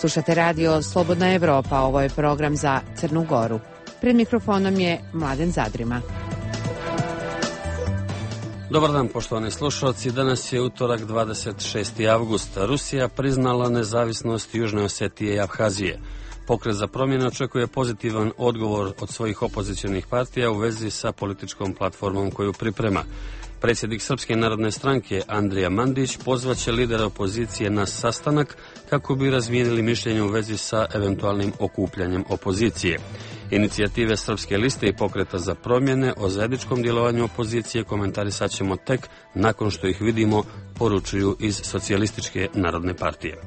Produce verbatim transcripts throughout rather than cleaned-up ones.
Slušate radio Slobodna Evropa, ovo je program za Crnu Goru. Pred mikrofonom je Mladen Zadrima. Dobar dan, poštovani slušalci. Danas je utorak, dvadeset šesti avgust. Rusija priznala nezavisnost Južne Osetije i Abhazije. Pokret za promjene očekuje pozitivan odgovor od svojih opozicionih partija u vezi sa političkom platformom koju priprema. Predsjednik Srpske narodne stranke Andrija Mandić pozvaće lidera opozicije na sastanak kako bi razmijenili mišljenje u vezi sa eventualnim okupljanjem opozicije. Inicijative Srpske liste i Pokreta za promjene o zajedničkom djelovanju opozicije komentarisat ćemo tek nakon što ih vidimo, poručuju iz Socijalističke narodne partije.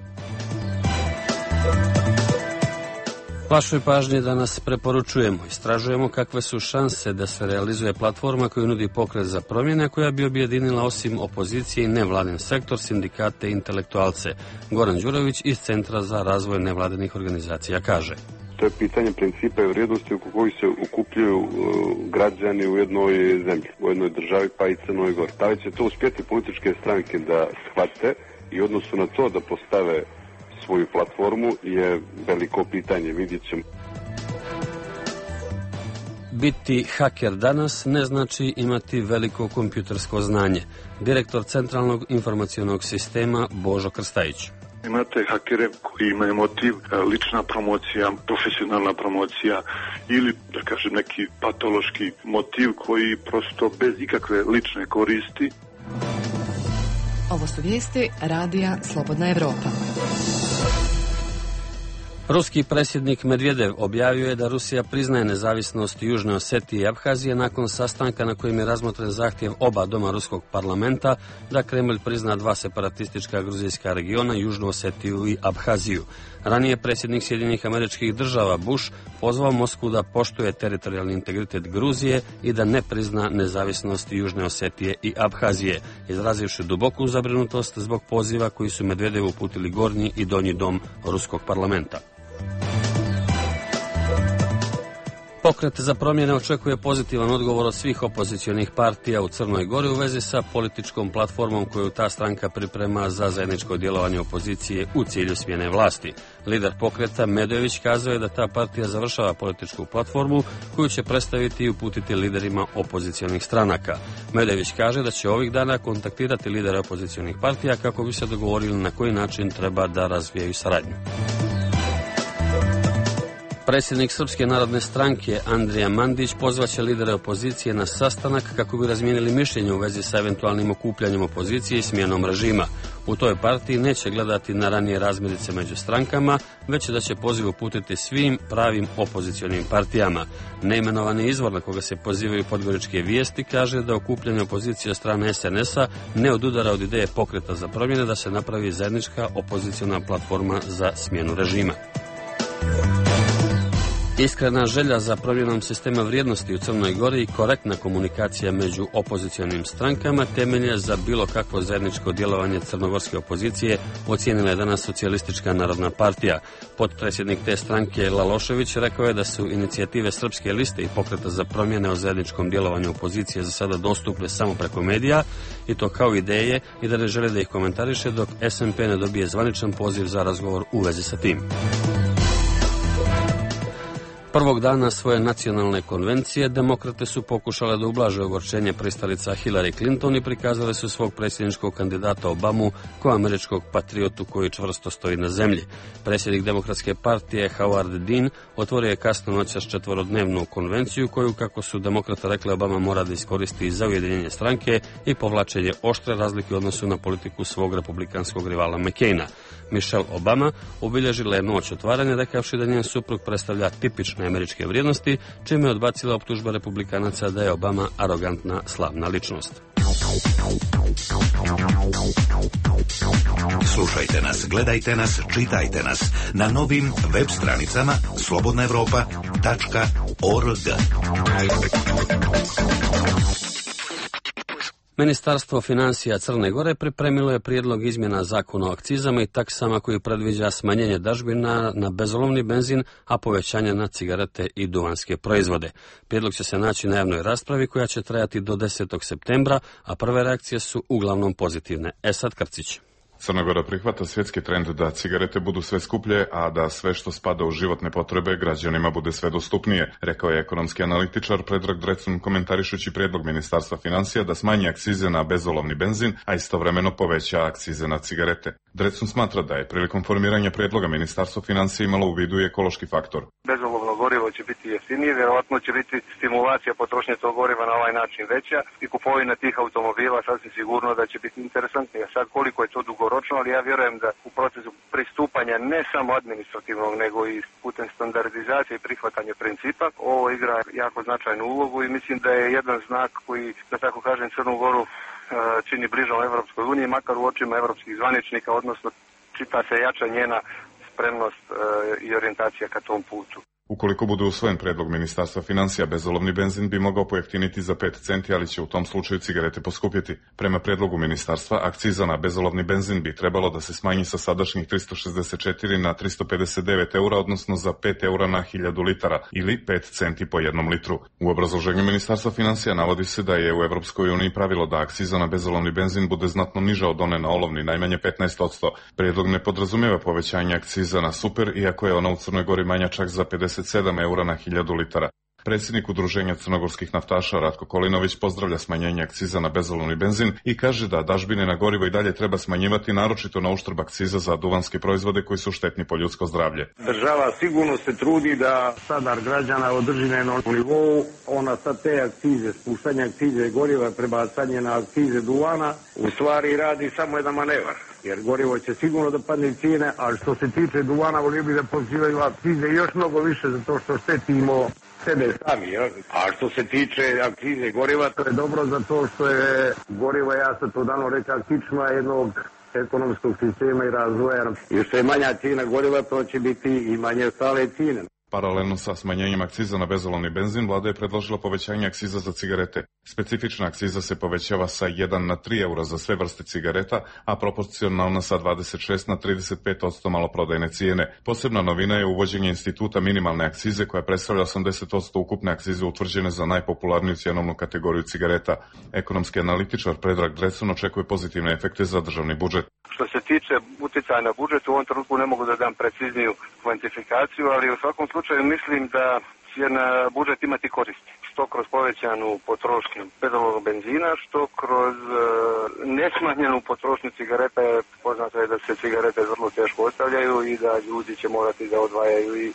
Vašoj pažnji danas preporučujemo, istražujemo kakve su šanse da se realizuje platforma koju nudi Pokret za promjene, koja bi objedinila osim opozicije i nevladin sektor, sindikate i intelektualce. Goran Đurović iz Centra za razvoj nevladinih organizacija kaže: To je pitanje principa i vrijednosti oko kojih se okupljaju uh, građani u jednoj zemlji, u jednoj državi, pa i Crnoj Gori. Da li će to uspjeti političke stranke da shvate i u odnosu na to da postave svoju platformu je veliko pitanje, vidjet ćemo. Biti haker danas ne znači imati veliko kompjutersko znanje. Direktor Centralnog informacionog sistema Božo Krstajić. Imate hakere koji imaju motiv lična promocija, profesionalna promocija ili, da kažem, neki patološki motiv koji prosto bez ikakve lične koristi. Ovo su vijesti radija Slobodna Evropa. Ruski predsjednik Medvedev objavio je da Rusija priznaje nezavisnost Južne Osetije i Abhazije nakon sastanka na kojem je razmotren zahtjev oba doma ruskog parlamenta da Kremlj prizna dva separatistička gruzijska regiona, Južnu Osetiju i Abhaziju. Ranije predsjednik Sjedinjenih Američkih Država Bush pozvao Moskvu da poštuje teritorijalni integritet Gruzije i da ne prizna nezavisnost Južne Osetije i Abhazije, izrazivši duboku zabrinutost zbog poziva koji su Medvedevu uputili Gornji i Donji dom ruskog parlamenta. Pokret za promjene očekuje pozitivan odgovor od svih opozicionih partija u Crnoj Gori u vezi sa političkom platformom koju ta stranka priprema za zajedničko djelovanje opozicije u cilju smjene vlasti. Lider pokreta Medojević kazao je da ta partija završava političku platformu koju će predstaviti i uputiti liderima opozicionih stranaka. Medojević kaže da će ovih dana kontaktirati lidere opozicionih partija kako bi se dogovorili na koji način treba da razvijaju saradnju. Predsjednik Srpske narodne stranke Andrija Mandić pozvaće lidere opozicije na sastanak kako bi razmijenili mišljenje u vezi sa eventualnim okupljanjem opozicije i smjenom režima. U toj partiji neće gledati na ranije razmirice među strankama, već da će poziv uputiti svim pravim opozicionim partijama. Neimenovani izvor na koga se pozivaju podgoričke vijesti kaže da okupljanje opozicije od strane es en es a ne odudara od ideje Pokreta za promjene da se napravi zajednička opoziciona platforma za smjenu režima. Iskrena želja za promjenom sistema vrijednosti u Crnoj Gori i korektna komunikacija među opozicionim strankama temelje za bilo kakvo zajedničko djelovanje crnogorske opozicije, ocijenila je danas Socijalistička narodna partija. Potpredsjednik te stranke Lalošević rekao je da su inicijative Srpske liste i Pokreta za promjene o zajedničkom djelovanju opozicije za sada dostupne samo preko medija, i to kao ideje, i da ne žele da ih komentariše dok es en pe ne dobije zvaničan poziv za razgovor u vezi sa tim. Prvog dana svoje nacionalne konvencije demokrate su pokušale da ublaže ogorčenje pristalica Hillary Clinton i prikazale su svog predsjedničkog kandidata Obamu kao američkog patriotu koji čvrsto stoji na zemlji. Predsjednik Demokratske partije Howard Dean otvorio je kasno noćas četvorodnevnu konvenciju koju, kako su demokrate rekli, Obama mora da iskoristi za ujedinjenje stranke i povlačenje oštre razlike u odnosu na politiku svog republikanskog rivala McCaina. Michelle Obama obilježila je noć otvaranja rekavši da njen suprug predstavlja tipične američke vrijednosti, čime je odbacila optužba republikanaca da je Obama arogantna slavna ličnost. Slušajte nas, gledajte nas, čitajte nas na novim web stranicama slobodna evropa tačka org. Ministarstvo financija Crne Gore pripremilo je prijedlog izmjena zakona o akcizama i taksama koji predviđa smanjenje dažbina na bezolovni benzin, a povećanje na cigarete i duvanske proizvode. Prijedlog će se naći na javnoj raspravi koja će trajati do desetog septembra, a prve reakcije su uglavnom pozitivne. Esad Krcić. Crna Gora prihvata svjetski trend da cigarete budu sve skuplje, a da sve što spada u životne potrebe građanima bude sve dostupnije, rekao je ekonomski analitičar Predrag Drecun komentarišući prijedlog Ministarstva financija da smanji akcize na bezolovni benzin, a istovremeno poveća akcize na cigarete. Drecun smatra da je prilikom formiranja prijedloga Ministarstvo financija imalo u vidu i ekološki faktor. Bezolovno gorivo će biti jeftinije, vjerojatno će biti stimulacija potrošnje tog goriva na ovaj način veća i kupovina tih automobila sasvim sigurno da će biti interesantnija. Sad koliko je to dugoročno, ali ja vjerujem da u procesu pristupanja ne samo administrativnog, nego i putem standardizacije i prihvatanja principa, ovo igra jako značajnu ulogu i mislim da je jedan znak koji, da tako kažem, Crnu Goru čini bližom Evropskoj uniji, makar u očima evropskih zvaničnika, odnosno čita se jača njena spremnost i orijentacija ka tom putu. Ukoliko bude usvojen predlog Ministarstva financija, bezolovni benzin bi mogao pojeftiniti za pet centi, ali će u tom slučaju cigarete poskupjeti. Prema predlogu Ministarstva, akciza na bezolovni benzin bi trebalo da se smanji sa sadašnjih tristo šezdeset četiri na tristo pedeset devet eura, odnosno za pet eura na hiljadu litara, ili pet centi po jednom litru. U obrazloženju Ministarstva financija navodi se da je u Evropskoj uniji pravilo da akciza na bezolovni benzin bude znatno niža od one na olovni, najmanje petnaest posto. Predlog ne podrazumijeva povećanje akciza na super, iako je ona u Crnoj Gori manja čak za pedeset sedam eura na hiljadu litara. Predsjednik Udruženja crnogorskih naftaša Ratko Kolinović pozdravlja smanjenje akciza na bezolovni benzin i kaže da dažbine na gorivo i dalje treba smanjivati, naročito na uštrb akciza za duvanske proizvode koji su štetni po ljudsko zdravlje. Država sigurno se trudi da standard građana održi na jednom nivou. Ona sad te akcize, spuštanje akcize goriva, prebacanje na akcize duvana, u stvari radi samo jedan manevar. Jer gorivo će sigurno da padne cijene, a što se tiče duvana, volio bi da pozivaju akcize još mnogo više zato što štetimo sebe sami. Jel? A što se tiče akcize goriva, to je dobro zato što je gorivo, ja sam to dano rekao, kičma jednog ekonomskog sistema i razvoja. I što je manja cijena goriva, to će biti i manje stale cijene. Paralelno sa smanjenjem akciza na bezolovni benzin, vlada je predložila povećanje akciza za cigarete. Specifična akciza se povećava sa jedan na tri eura za sve vrste cigareta, a proporcionalna sa dvadeset šest na trideset pet posto maloprodajne cijene. Posebna novina je uvođenje instituta minimalne akcize koja predstavlja osamdeset posto ukupne akcize utvrđene za najpopularniju cjenovnu kategoriju cigareta. Ekonomski analitičar Predrag Drecun očekuje pozitivne efekte za državni budžet. Što se tiče utjecaja na budžet, u ovom trenutku ne mogu da dam precizniju kvantifikaciju, ali u svakom slučaju mislim da će na budžet imati koristi. Što kroz povećanu potrošnju bezolovnog benzina, što kroz e, nesmanjenu potrošnju cigareta. Poznato je da se cigarete vrlo teško ostavljaju i da ljudi će morati da odvajaju i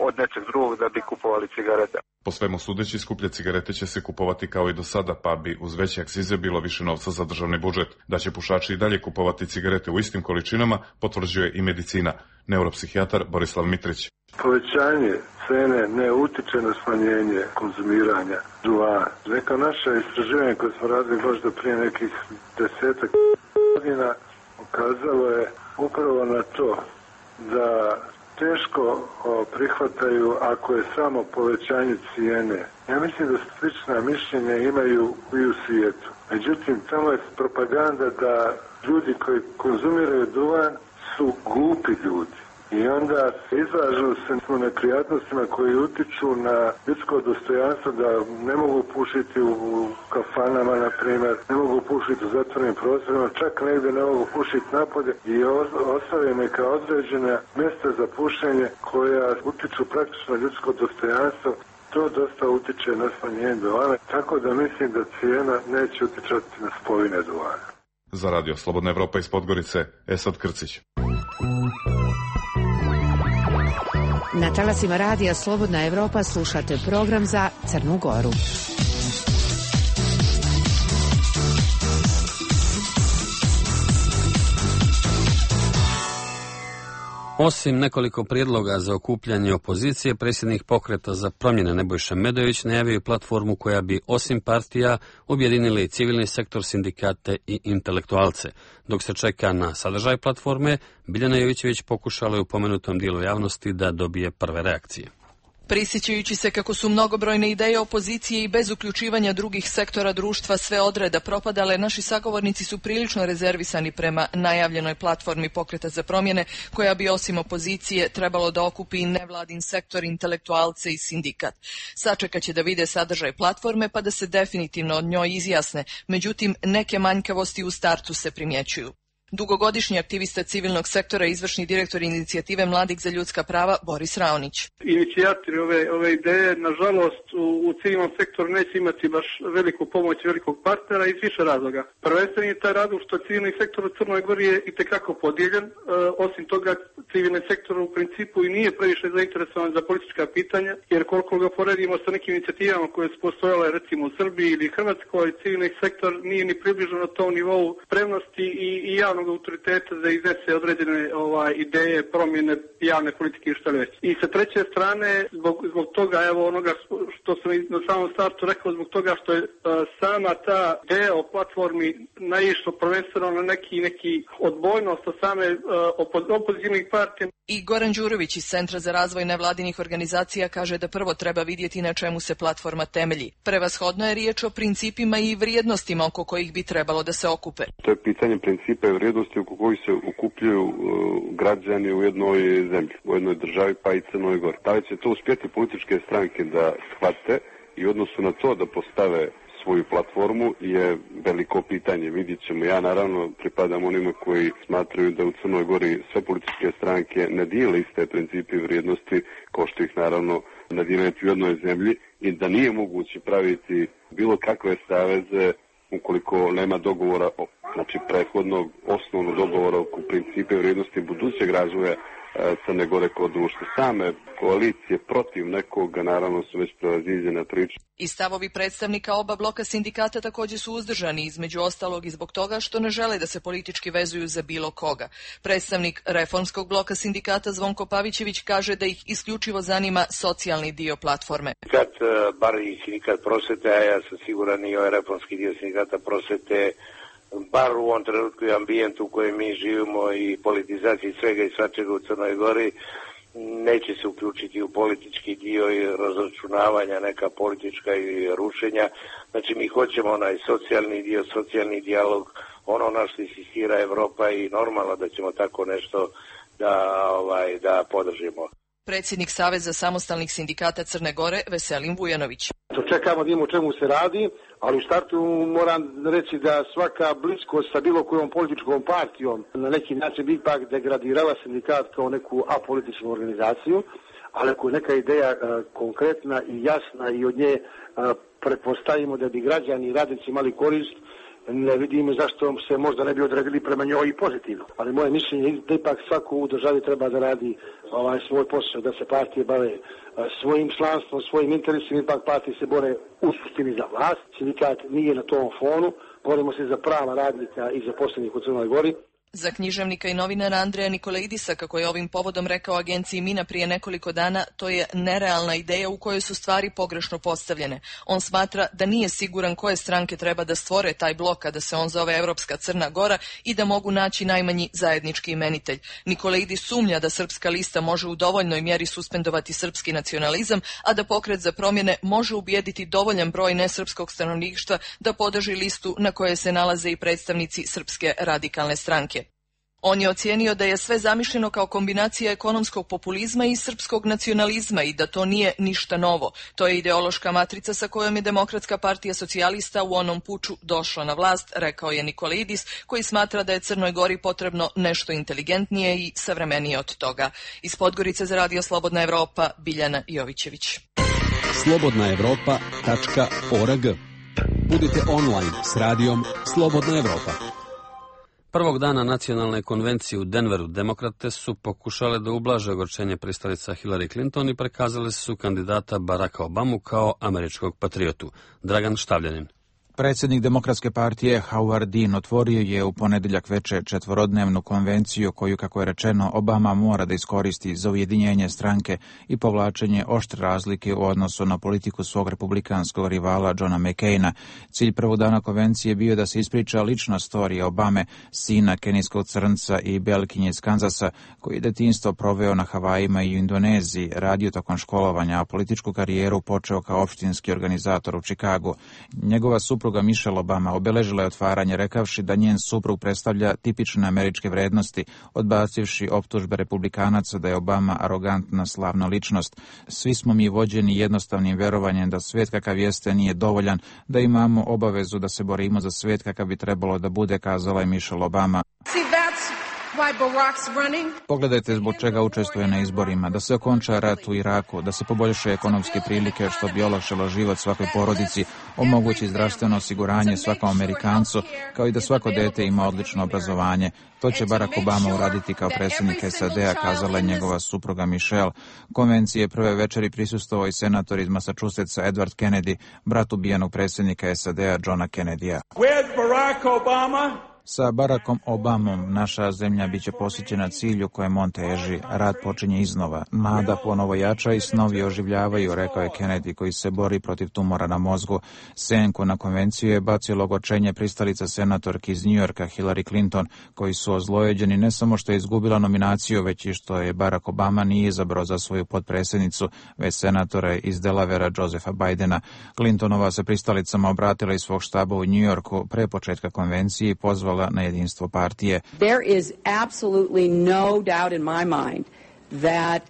od nečeg drugog da bi kupovali cigarete. Po svemu sudeći, skuplje cigarete će se kupovati kao i do sada, pa bi uz veće akcize bilo više novca za državni budžet. Da će pušači i dalje kupovati cigarete u istim količinama, potvrđuje i medicina. Neuropsihijatar Borislav Mitrić. Povećanje cene ne utiče na smanjenje konzumiranja duvana. Neka naša istraživanja koje smo radili možda prije nekih desetak godina ukazalo je upravo na to da teško prihvataju ako je samo povećanje cijene. Ja mislim da slična mišljenja imaju i u svijetu. Međutim, tamo je propaganda da ljudi koji konzumiraju duvan su glupi ljudi. I onda izlažu se u neprijatnostima koji utiču na ljudsko dostojanstvo, da ne mogu pušiti u kafanama, na primjer, ne mogu pušiti u zatvorenim prostorima, čak negdje ne mogu pušiti napolje i ostave neka određena mjesta za pušenje koja utiču praktično na ljudsko dostojanstvo. To dosta utiče na smanjenje duvana, tako da mislim da cijena neće utičati na spojine duvana. Za Radio Slobodna Evropa iz Podgorice, Esad Krcić. Na talasima Radija Slobodna Evropa slušate program za Crnu Goru. Osim nekoliko prijedloga za okupljanje opozicije, predsjednik Pokreta za promjene Nebojša Medović najavio platformu koja bi osim partija objedinila i civilni sektor, sindikate i intelektualce. Dok se čeka na sadržaj platforme, Biljana Jovićević pokušala je u pomenutom dijelu javnosti da dobije prve reakcije. Prisjećajući se kako su mnogobrojne ideje opozicije i bez uključivanja drugih sektora društva sve odreda propadale, naši sagovornici su prilično rezervisani prema najavljenoj platformi Pokreta za promjene, koja bi osim opozicije trebalo da okupi i nevladin sektor, intelektualce i sindikat. Sačekat će da vide sadržaj platforme pa da se definitivno od njoj izjasne, međutim neke manjkavosti u startu se primjećuju. Dugogodišnji aktivista civilnog sektora i izvršni direktor inicijative Mladih za ljudska prava Boris Raonić. Inicijatori ove, ove ideje, nažalost, u, u civilnom sektoru neće imati baš veliku pomoć velikog partnera iz više razloga. Prvenstveni je taj razlog što civilni sektor u Crnoj Gori je itekako podijeljen. E, osim toga, civilni sektor u principu i nije previše zainteresovan za politička pitanja, jer koliko ga poredimo sa nekim inicijativama koje su postojale recimo u Srbiji ili Hrvatskoj, civilni sektor nije ni približno na tom nivou spremnosti i, i javnog autoriteta da iznese određene ovaj, ideje, promjene javne politike i što već. I sa treće strane, zbog, zbog toga, evo onoga što sam na samom startu rekao, zbog toga što je uh, sama ta ideja o platformi naišlo prvenstveno na neki, neki odbojnost od same uh, opozicijnih partija. I Goran Đurović iz Centra za razvoj nevladinih organizacija kaže da prvo treba vidjeti na čemu se platforma temelji. Prevashodno je riječ o principima i vrijednostima oko kojih bi trebalo da se okupe. To je pitanje principa i vrijednosti oko kojih se okupljuju uh, građani u jednoj zemlji, u jednoj državi pa i Crnoj Gori. Da li će to uspjeti političke stranke da shvate i u odnosu na to da postave svoju platformu je veliko pitanje. Vidjet ćemo. Ja naravno pripadam onima koji smatraju da u Crnoj Gori sve političke stranke ne dijele iste principe i vrijednosti kao što ih naravno ne dijele u jednoj zemlji i da nije moguće praviti bilo kakve saveze ukoliko nema dogovora, znači prethodnog osnovnog dogovora oko principe i vrijednosti budućeg razvoja Crne Gore kao društva. Same koalicije protiv nekoga naravno su već prevaziđene priče. I stavovi predstavnika oba bloka sindikata također su uzdržani, između ostalog i zbog toga što ne žele da se politički vezuju za bilo koga. Predstavnik reformskog bloka sindikata Zvonko Pavićević kaže da ih isključivo zanima socijalni dio platforme. Kad bar i sindikat prosvete, a ja sam siguran i ovaj reformski dio sindikata prosvete, bar u ovom trenutku i ambijentu u kojem mi živimo i politizaciji svega i svačega u Crnoj Gori, neće se uključiti u politički dio i razračunavanja, neka politička i rušenja. Znači mi hoćemo onaj socijalni dio, socijalni dijalog, ono na što insistira Evropa i normalno da ćemo tako nešto da, ovaj, da podržimo. Predsjednik Saveza samostalnih sindikata Crne Gore Veselin Vujanović. To čekamo da imamo o čemu se radi, ali u startu moram reći da svaka bliskost sa bilo kojom političkom partijom na neki način bi ipak degradirala sindikat kao neku apolitičnu organizaciju, ali ako je neka ideja a, konkretna i jasna i od nje a, pretpostavimo da bi građani i radnici imali korist, ne vidimo zašto se možda ne bi odredili prema njoj i pozitivno. Ali moje mišljenje je da ipak svako u državi treba da radi ovaj, svoj posao, da se partije bave svojim članstvom, svojim interesima, ipak partije se bore u suštini za vlast. Sindikat nije na tom fonu, borimo se za prava radnika i zaposlenih u Crnoj Gori. Za književnika i novinara Andreja Nikolaidisa, kako je ovim povodom rekao agenciji Mina prije nekoliko dana, to je nerealna ideja u kojoj su stvari pogrešno postavljene. On smatra da nije siguran koje stranke treba da stvore taj blok, a da se on zove Evropska Crna Gora i da mogu naći najmanji zajednički imenitelj. Nikolaidis sumnja da Srpska lista može u dovoljnoj mjeri suspendovati srpski nacionalizam, a da Pokret za promjene može ubijediti dovoljan broj nesrpskog stanovništva da podrži listu na kojoj se nalaze i predstavnici Srpske radikalne stranke. On je ocijenio da je sve zamišljeno kao kombinacija ekonomskog populizma i srpskog nacionalizma i da to nije ništa novo. To je ideološka matrica sa kojom je Demokratska partija socijalista u onom puču došla na vlast, rekao je Nikolaidis, koji smatra da je Crnoj Gori potrebno nešto inteligentnije i savremenije od toga. Iz Podgorice za Radio Slobodna Evropa, Biljana Jovićević. slobodna evropa tačka org. Budite online s radijom Slobodna Evropa. Prvog dana nacionalne konvencije u Denveru demokrate su pokušale da ublaže ogorčenje pristalica Hillary Clinton i prekazale su kandidata Baracka Obamu kao američkog patriotu. Dragan Štavljanin. Predsjednik Demokratske partije Howard Dean otvorio je u ponedjeljak veče četvorodnevnu konvenciju koju, kako je rečeno, Obama mora da iskoristi za ujedinjenje stranke i povlačenje oštre razlike u odnosu na politiku svog republikanskog rivala Johna McCaina. Cilj prvog dana konvencije bio da se ispriča lična storija Obame, sina kenijskog crnca i belkinje iz Kanzasa, koji je detinjstvo proveo na Havajima i u Indoneziji, radio tokom školovanja, a političku karijeru počeo kao opštinski organizator u Čikagu. Njegova supruga Michelle Obama obeležila je otvaranje rekavši da njen suprug predstavlja tipične američke vrednosti, odbacivši optužbe republikanaca da je Obama arogantna slavna ličnost. Svi smo mi vođeni jednostavnim verovanjem da svijet kakav jeste nije dovoljan, da imamo obavezu da se borimo za svijet kakav bi trebalo da bude, kazala je Michelle Obama. Pogledajte zbog čega učestvuje na izborima, da se okonča rat u Iraku, da se poboljšaju ekonomske prilike što bi olakšalo život svakoj porodici, omogući zdravstveno osiguranje svakom Amerikancu, kao i da svako dete ima odlično obrazovanje. To će Barack Obama uraditi kao predsjednik S A D-a, kazala je njegova supruga Michelle. Konvencije prve večeri prisustvovao i senator iz Massachusettsa Edward Kennedy, brat ubijenog predsjednika S A D-a Johna Kennedya. With Barack Obama, sa Barackom Obamom naša zemlja biće posjećena cilju kojem on teži. Rad počinje iznova. Nada ponovo jača i snovi oživljavaju, rekao je Kennedy, koji se bori protiv tumora na mozgu. Senku na konvenciju je bacio ogorčenje pristalica senatorki iz New Yorka Hillary Clinton, koji su ozlojeđeni ne samo što je izgubila nominaciju, već i što je Barack Obama nije izabrao za svoju potpredsjednicu, već senatora iz Delavera Josepha Bidena. Clintonova se pristalicama obratila iz svog štaba u New Yorku pre početka konvencije i pozvala na jedinstvo partije. There is absolutely no doubt in my mind that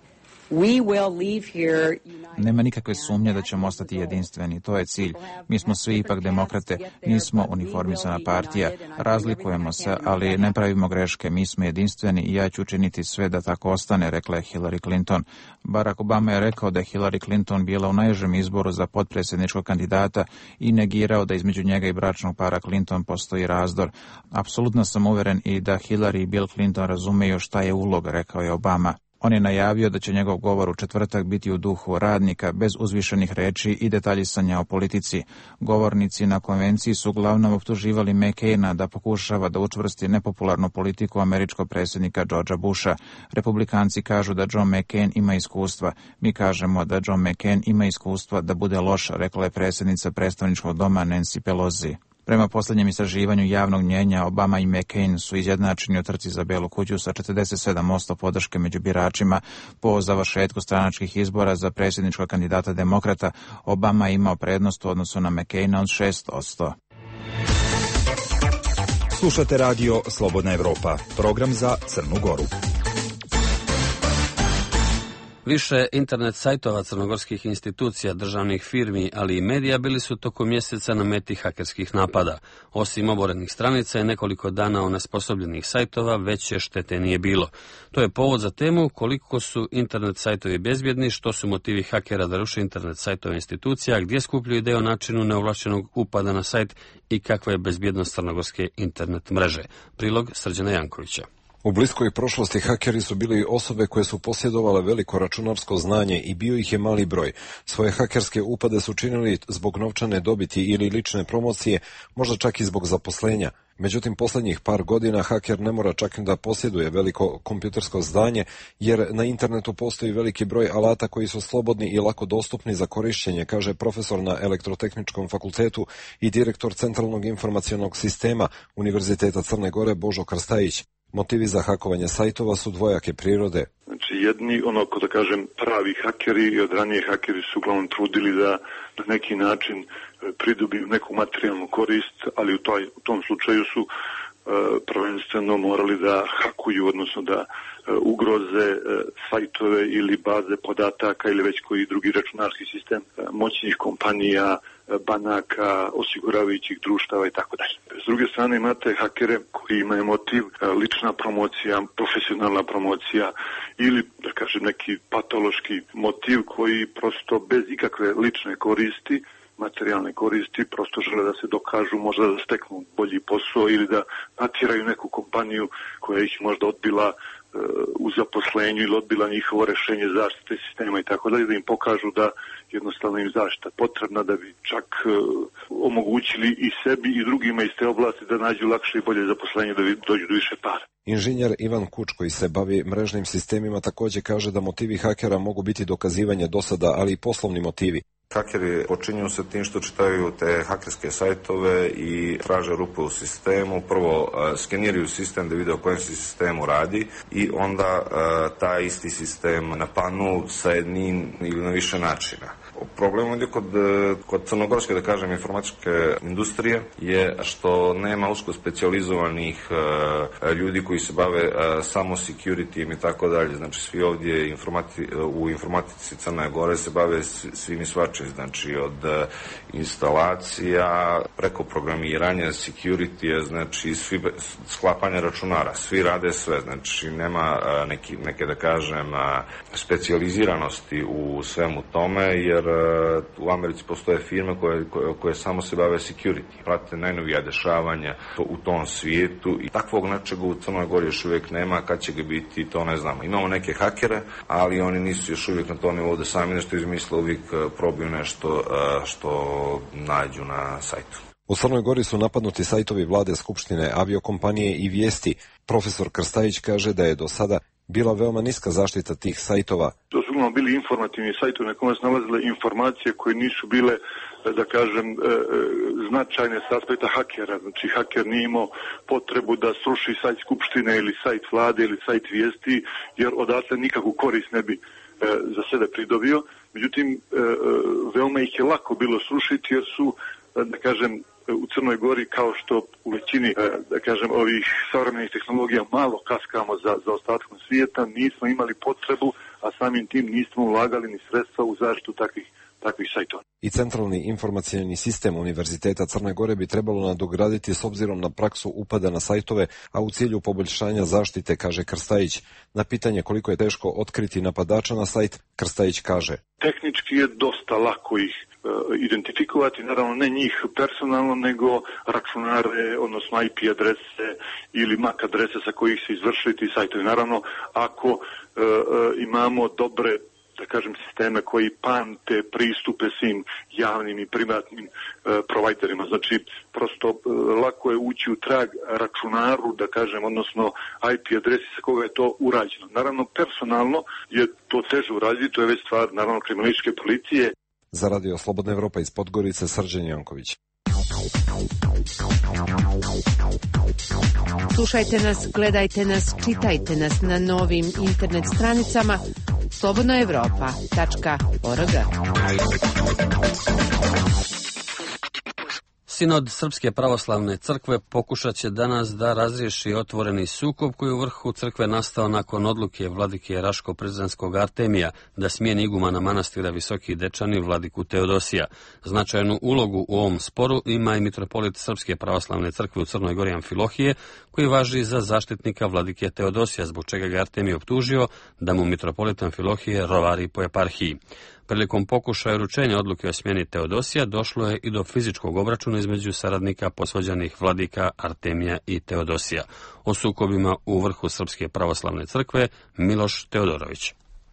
we will leave here. Nema nikakve sumnje da ćemo ostati jedinstveni, to je cilj. Mi smo svi ipak demokrate, nismo uniformisana partija, razlikujemo se, ali ne pravimo greške, mi smo jedinstveni i ja ću učiniti sve da tako ostane, rekla je Hillary Clinton. Barack Obama je rekao da je Hillary Clinton bila u najžem izboru za potpredsjedničkog kandidata i negirao da između njega i bračnog para Clinton postoji razdor. Apsolutno sam uveren i da Hillary i Bill Clinton razumeju šta je uloga, rekao je Obama. On je najavio da će njegov govor u četvrtak biti u duhu radnika, bez uzvišenih reči i detaljisanja o politici. Govornici na konvenciji su uglavnom optuživali McCaina da pokušava da učvrsti nepopularnu politiku američkog predsjednika Georgea Busha. Republikanci kažu da John McCain ima iskustva. Mi kažemo da John McCain ima iskustva da bude loš, rekla je predsjednica predstavničkog doma Nancy Pelosi. Prema posljednjem istraživanju javnog mnjenja, Obama i McCain su izjednačeni u trci za Belu kuću sa četrdeset sedam posto podrške među biračima. Po završetku stranačkih izbora za predsjedničkog kandidata demokrata, Obama je imao prednost u odnosu na McCaina od šest posto. Slušate radio Slobodna Evropa, program za Crnu Goru. Više internet sajtova crnogorskih institucija, državnih firmi, ali i medija bili su tokom mjeseca na meti hakerskih napada. Osim oborenih stranica i nekoliko dana onesposobljenih sajtova, veće štete nije bilo. To je povod za temu koliko su internet sajtovi bezbjedni, što su motivi hakera da ruše internet sajtove institucija, gdje skupljaju ideje o načinu neovlašćenog upada na sajt i kakva je bezbjednost crnogorske internet mreže. Prilog Srđana Jankovića. U bliskoj prošlosti hakeri su bili osobe koje su posjedovale veliko računarsko znanje i bio ih je mali broj. Svoje hakerske upade su činili zbog novčane dobiti ili lične promocije, možda čak i zbog zaposlenja. Međutim, posljednjih par godina haker ne mora čak i da posjeduje veliko kompjutersko znanje, jer na internetu postoji veliki broj alata koji su slobodni i lako dostupni za korišćenje, kaže profesor na Elektrotehničkom fakultetu i direktor Centralnog informacionog sistema Univerziteta Crne Gore Božo Krstajić. Motivi za hakovanje sajtova su dvojake prirode. Znači jedni, ono ko da kažem, pravi hakeri i od ranije hakeri su uglavnom trudili da na neki način pridobiju neku materijalnu korist, ali u, toj, u tom slučaju su uh, prvenstveno morali da hakuju, odnosno da uh, ugroze uh, sajtove ili baze podataka ili već koji drugi računarski sistem uh, moćnih kompanija, banaka, osiguravajućih društava i tako dalje. S druge strane imate hakere koji imaju motiv lična promocija, profesionalna promocija ili, da kažem, neki patološki motiv koji prosto bez ikakve lične koristi, materijalne koristi, prosto žele da se dokažu, možda da steknu bolji posao ili da natjeraju neku kompaniju koja ih možda odbila u zaposlenju ili odbila njihovo rešenje zaštite sistema i tako dalje, da im pokažu da jednostavno im zaštita potrebna, da bi čak uh, omogućili i sebi i drugima iz te oblasti da nađu lakše i bolje zaposlenje, da dođu do više para. Inženjer Ivan Kuč, koji se bavi mrežnim sistemima, također kaže da motivi hakera mogu biti dokazivanje dosada, ali i poslovni motivi. Hakeri počinju se tim što čitaju te hakerske sajtove i traže rupe u sistemu. Prvo uh, skeniraju sistem da vide o kojem se sistemu radi i onda uh, taj isti sistem napadnu sa jednim ili na više načina. Problem ovdje kod, kod crnogorske, da kažem, informatičke industrije je što nema usko specijalizovanih uh, ljudi koji se bave uh, samo security i tako dalje. Znači svi ovdje informati, u informatici Crne Gore se bave svim i svačim, znači od uh, instalacija preko programiranja, security, znači svi, sklapanja računara, svi rade sve, znači nema uh, neki, neke, da kažem, uh, specijaliziranosti u svemu tome, jer uh, u Americi postoje firme koje, koje, koje samo se bave security, prate najnovija dešavanja to, u tom svijetu i takvog nečega u Crnoj Gori još uvijek nema, kad će ga biti, to ne znamo. Imamo neke hakere, ali oni nisu još uvijek na tom nivou da sami nešto izmisle, uvijek probiju nešto što nađu na sajtu. U Crnoj Gori su napadnuti sajtovi vlade, skupštine, aviokompanije i vijesti. Profesor Krstajić kaže da je do sada bila veoma niska zaštita tih sajtova. To su uglavnom bili informativni sajtovi na kojima se nalazile informacije koje nisu bile, da kažem, značajne s aspekta hakera. Znači, haker nije imao potrebu da sruši sajt skupštine ili sajt vlade ili sajt vijesti, jer odatle nikakvu korist ne bi za sebe pridobio. Međutim, veoma ih je lako bilo srušiti jer su, da kažem, u Crnoj Gori, kao što u većini, da kažem, ovih savremenih tehnologija malo kaskamo za, za ostatkom svijeta, nismo imali potrebu, a samim tim nismo ulagali ni sredstva u zaštitu takvih, takvih sajtova. I centralni informacioni sistem Univerziteta Crne Gore bi trebalo nadograditi s obzirom na praksu upada na sajtove, a u cilju poboljšanja zaštite, kaže Krstajić. Na pitanje koliko je teško otkriti napadača na sajt, Krstajić kaže: tehnički je dosta lako ih identifikovati, naravno ne njih personalno, nego računare, odnosno I P adrese ili M A C adrese sa kojih se izvršili ti sajtovi. Naravno, ako e, e, imamo dobre, da kažem, sisteme koji pamte pristupe svim javnim i privatnim e, provajderima. Znači, prosto e, lako je ući u trag računaru, da kažem, odnosno I P adresi sa koga je to urađeno. Naravno, personalno je to teže uraditi, to je već stvar, naravno, kriminalističke policije. Za Radio Slobodna Evropa iz Podgorice, Srđan Janković. Slušajte nas, gledajte nas, čitajte nas na novim internet stranicama slobodna evropa tačka org. Sinod Srpske pravoslavne crkve pokušat će danas da razriješi otvoreni sukob koji u vrhu crkve nastao nakon odluke vladike Raško-Prizrenskog Artemija da smijeni igumana manastira Visoki Dečani vladiku Teodosija. Značajnu ulogu u ovom sporu ima i mitropolit Srpske pravoslavne crkve u Crnoj Gori Amfilohije, koji važi za zaštitnika vladike Teodosija, zbog čega ga Artemij optužio da mu mitropolit Amfilohije rovari po eparhiji. Prilikom pokušaja uručenja odluke o smjeni Teodosija došlo je i do fizičkog obračuna između saradnika posvađanih vladika Artemija i Teodosija. O sukobima u vrhu Srpske pravoslavne crkve Miloš Teodorović.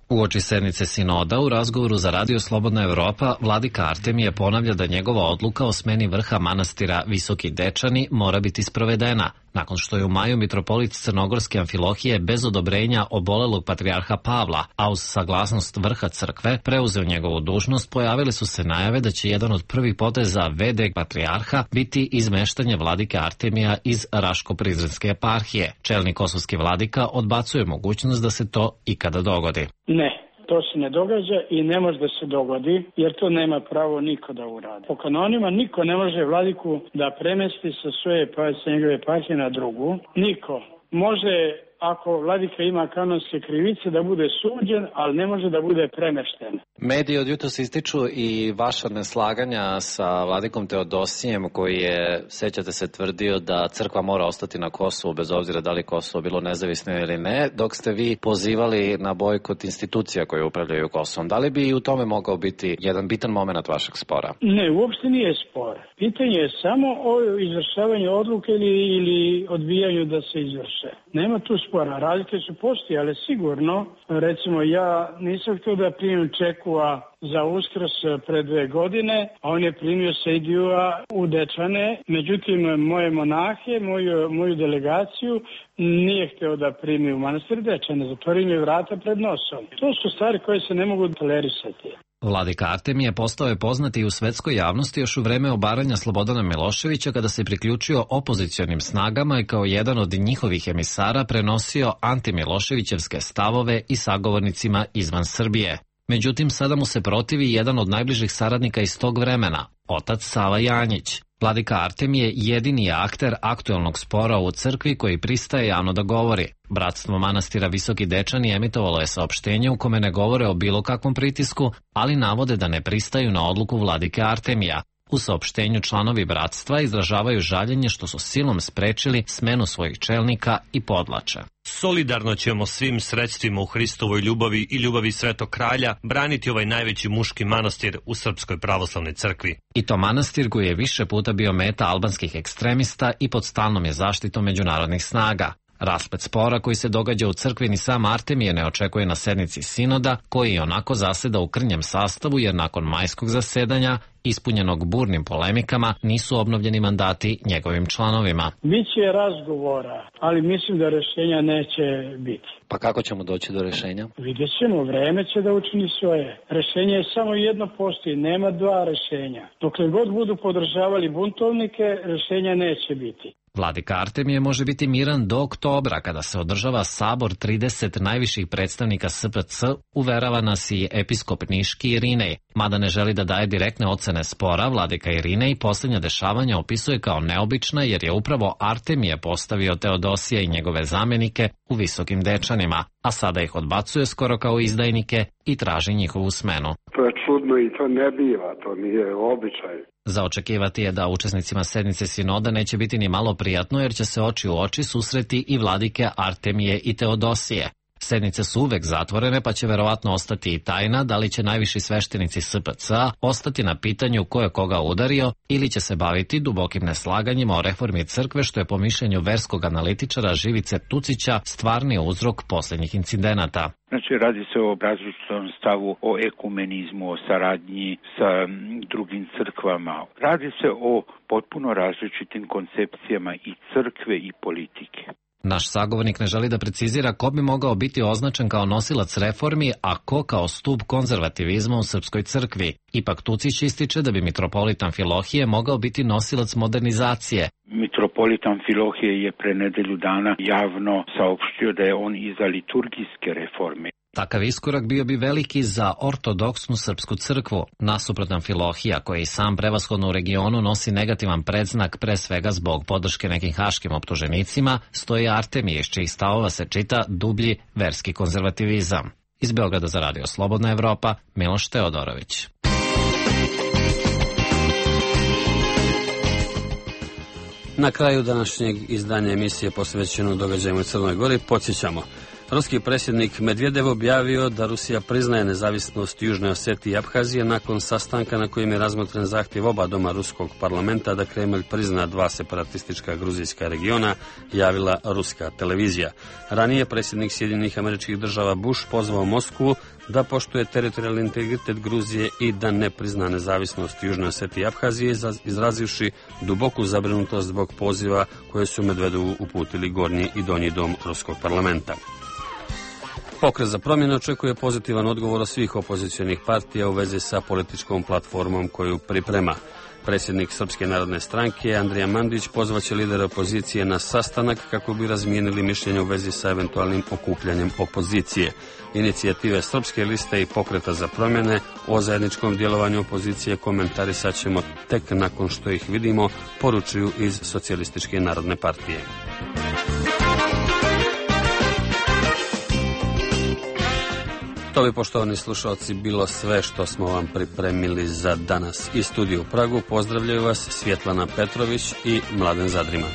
Uoči sednice sinoda u razgovoru za Radio Slobodna Evropa, vladika Artemije ponavlja da njegova odluka o smeni vrha manastira Visoki Dečani mora biti sprovedena. Nakon što je u maju mitropolit Crnogorske Amfilohije bez odobrenja obolelog patrijarha Pavla, a uz saglasnost vrha crkve preuzeo njegovu dužnost, pojavile su se najave da će jedan od prvih poteza V D patrijarha biti izmeštanje vladike Artemija iz Raško-Prizrenske eparhije. Čelni kosovski vladika odbacuje mogućnost da se to ikada dogodi. Ne. To se ne događa i ne može da se dogodi, jer to nema pravo niko da uradi. Po kanonima niko ne može vladiku da premesti sa svoje pa sa njegove eparhije na drugu. Niko. Može, ako vladika ima kanonske krivice, da bude suđen, ali ne može da bude premešten. Mediji od jutros ističu i vaša neslaganja sa vladikom Teodosijem, koji je, sećate se, tvrdio da crkva mora ostati na Kosovu, bez obzira da li Kosovo bilo nezavisno ili ne, dok ste vi pozivali na bojkot institucija koje upravljaju Kosovom. Da li bi i u tome mogao biti jedan bitan moment vašeg spora? Ne, uopšte nije spor. Pitanje je samo o izvršavanju odluke ili, ili odbijanju da se izvrše. Nema tu spora. Razlike su postojale sigurno. Recimo, ja nisam htio da primim Čekua za Uskrs pre dve godine, a on je primio Sejdijua u Dečane. Međutim, moje monahe, moju, moju delegaciju nije htio da primi u manastir Dečane. Zatvorio mi vrata pred nosom. To su stvari koje se ne mogu tolerisati. Vladika Artemije postao je poznat i u svetskoj javnosti još u vreme obaranja Slobodana Miloševića, kada se priključio opozicionim snagama i kao jedan od njihovih emisara prenosio antimiloševićevske stavove i sagovornicima izvan Srbije. Međutim, sada mu se protivi jedan od najbližih saradnika iz tog vremena, otac Sava Janjić. Vladika Artemije jedini je akter aktuelnog spora u crkvi koji pristaje javno da govori. Bratstvo manastira Visoki Dečani emitovalo je saopštenje u kome ne govore o bilo kakvom pritisku, ali navode da ne pristaju na odluku vladike Artemija. U saopštenju članovi bratstva izražavaju žaljenje što su silom sprečili smenu svojih čelnika i podlače. Solidarno ćemo svim sredstvima u Hristovoj ljubavi i ljubavi Svetog Kralja braniti ovaj najveći muški manastir u Srpskoj pravoslavnoj crkvi. I to manastir koji je više puta bio meta albanskih ekstremista i pod stalnom je zaštitom međunarodnih snaga. Rasplet spora koji se događa u crkvi ni sam Artemije ne očekuje na sednici sinoda, koji onako zaseda u krnjem sastavu jer nakon majskog zasedanja, ispunjenog burnim polemikama, nisu obnovljeni mandati njegovim članovima. Biće razgovora, ali mislim da rešenja neće biti. Pa kako ćemo doći do rešenja? Vidjet ćemo, vreme će da učini svoje. Rešenje je samo jedno postoji, nema dva rešenja. Dokle god budu podržavali buntovnike, rešenja neće biti. Vladika Artemije može biti miran do oktobra, kada se održava sabor trideset najviših predstavnika S P C, uverava nas i episkop Niški Irinej. Mada ne želi da daje direktne ocene spora, vladika Irinej posljednja dešavanja opisuje kao neobična jer je upravo Artemije postavio Teodosija i njegove zamenike u Visokim Dečanima, a sada ih odbacuje skoro kao izdajnike i traži njihovu smenu. To je čudno i to ne biva, to nije običaj. Za očekivati je da učesnicima sednice sinoda neće biti ni malo prijatno jer će se oči u oči susreti i vladike Artemije i Teodosije. Sednice su uvek zatvorene pa će verovatno ostati i tajna da li će najviši sveštenici S P C ostati na pitanju ko je koga udario ili će se baviti dubokim neslaganjima o reformi crkve, što je po mišljenju verskog analitičara Živice Tucića stvarni uzrok posljednjih incidenata. Znači, radi se o različitom stavu, o ekumenizmu, o saradnji sa drugim crkvama. Radi se o potpuno različitim koncepcijama i crkve i politike. Naš sagovornik ne želi da precizira ko bi mogao biti označen kao nosilac reformi, a ko kao stup konzervativizma u srpskoj crkvi. Ipak Tucić ističe da bi mitropolitan Filohije mogao biti nosilac modernizacije. Mitropolitan Filohije je pre nedelju dana javno saopštio da je on iza liturgijske reforme. Takav iskorak bio bi veliki za ortodoksnu srpsku crkvu. Nasuprot Amfilohija, koji i sam prevashodno u regionu nosi negativan predznak pre svega zbog podrške nekim haškim optuženicima, stoji Artemije, iz čijih stavova se čita dublji verski konzervativizam. Iz Beograda za Radio Slobodna Evropa, Miloš Teodorović. Na kraju današnjeg izdanja emisije posvećeno događajima u Crnoj Gori podsjećamo. Ruski predsjednik Medvedev objavio da Rusija priznaje nezavisnost Južne Osetije i Abhazije nakon sastanka na kojem je razmotren zahtjev oba doma ruskog parlamenta da Kremlj prizna dva separatistička gruzijska regiona, javila ruska televizija. Ranije predsjednik Sjedinjenih Američkih Država Bush pozvao Moskvu da poštuje teritorijalni integritet Gruzije i da ne prizna nezavisnost Južne Osetije i Abhazije, izrazivši duboku zabrinutost zbog poziva koje su Medvedevu uputili Gornji i Donji dom ruskog parlamenta. Pokret za promjene očekuje pozitivan odgovor od svih opozicionih partija u vezi sa političkom platformom koju priprema. Predsjednik Srpske narodne stranke Andrija Mandić pozvaće lidere opozicije na sastanak kako bi razmijenili mišljenje u vezi sa eventualnim okupljanjem opozicije. Inicijative Srpske liste i Pokreta za promjene o zajedničkom djelovanju opozicije komentarisat ćemo tek nakon što ih vidimo, poručuju iz Socijalističke narodne partije. To bi, poštovani slušalci, bilo sve što smo vam pripremili za danas. Iz studija u Pragu pozdravljaju vas Svjetlana Petrović i Mladen Zadrima.